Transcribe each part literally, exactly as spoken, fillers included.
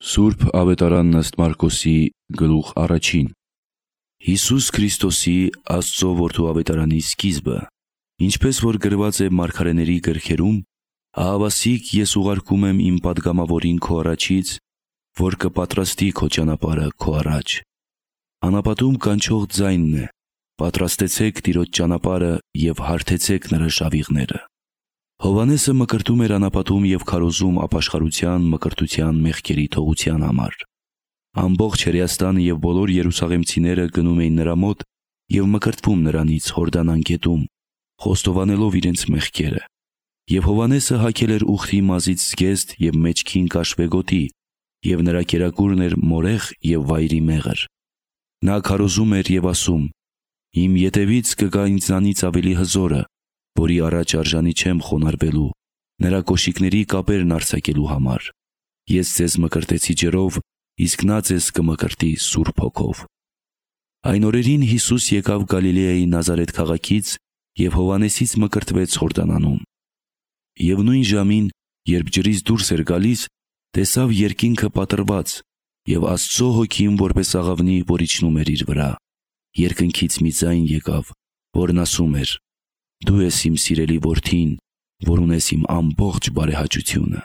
Սուրբ Ավետարանն ըստ Մարկոսի գլուխ առաջին։ Հիսուս Քրիստոսի Աստծո որդու ավետարանի սկիզբը, ինչպես որ գրված է մարգարեների գրքերում, ահավասիկ ես ուղարկում եմ իմ պատգամավորին քո առաջից, որ կպատրաստի քո ճանապարհը քո առաջ։ Անապատում կանչող ձայնն է. պատրաստեցեք Տիրոջ ճանապարհը և հարթեցեք նրա շավիղները։ Հովհաննեսը մկրտում էր անապատում և քարոզում ապաշխարության, մկրտության մեղքերի թողության համար։ Ամբողջ Հրեաստանը և բոլոր երուսաղեմցիները գնում էին նրա մոտ և մկրտվում նրանից Հորդան անգետում, խոստովանելով իրենց մեղքերը։ Եվ Հովհաննեսը հագել էր ուխտի մազից զգեստ և մեջքին կաշվե և նրա կերակուրն էր մորեխ և վայրի մեղր։ Նա քարոզում էր և ասում. «Իմ ետևից կգա ինձանից ավելի հզորը, որի առաջ արժանի չեմ խոնարհվելու, նրա կոշիկների կապերն արձակելու համար։ Ես ձեզ մկրտեցի ջրով, իսկ նա ձեզ կմկրտի Սուրբ Հոգով»։ Այն օրերին Հիսուս եկավ Գալիլեայի Նազարեթ քաղաքից և Հովհաննեսից մկրտվեց Հորդանանում։ Եվ նույն ժամին, երբ ջրից դուրս էր գալիս, տեսավ երկինքը պատռված և Աստծո Հոգին որպես աղավնի, որ իջնում էր իր վրա։ Երկնքից մի ձայն եկավ, որն ասում էր. «Դու ես իմ սիրելի Որդին, որ ունես իմ ամբողջ բարեհաճությունը»։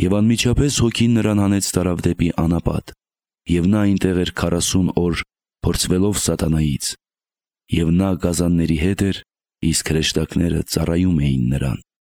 Եվ անմիջապես Հոգին նրան հանեց տարավ դեպի անապատ, և նա այնտեղ էր քառասուն օր փորձվելով սատանայից։ Եվ նա գազանների հետ էր, իսկ հրեշտակները ծառայում էին նրան։